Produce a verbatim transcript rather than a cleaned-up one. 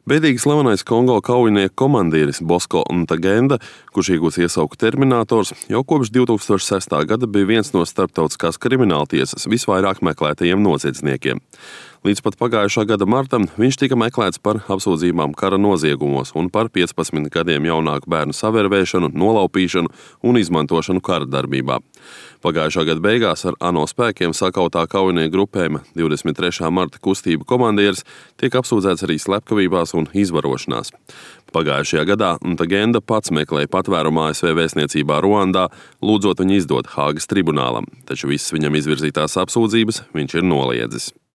Bēdīgi slavenais Kongo kaujinieku komandieris Bosko Ntaganda, kurš iegūts iesauku Terminators, jau kopš divtūkstoš sestā gada bija viens no starptautiskās krimināltiesas visvairāk meklētajiem noziedzniekiem. Līdz pat pagājušā gada martam viņš tika meklēts par apsūdzībām kara noziegumos un par piecpadsmit gadiem jaunāku bērnu savērvēšanu, nolaupīšanu un izmantošanu kara darbībā. Pagājušā gada beigās ar ANO spēkiem sakautā kaujinieku grupējuma divdesmit trešā marta kustību komandieris tiek apsūdzēts arī slepkavībās un izvarošanās. Pagājušajā gadā Ntaganda pats meklēja patvērumu A S V vēstniecībā Ruandā, lūdzot viņu izdot Hāgas tribunālam, taču visas viņam izvirzītās apsūdzības viņš ir noliedzis.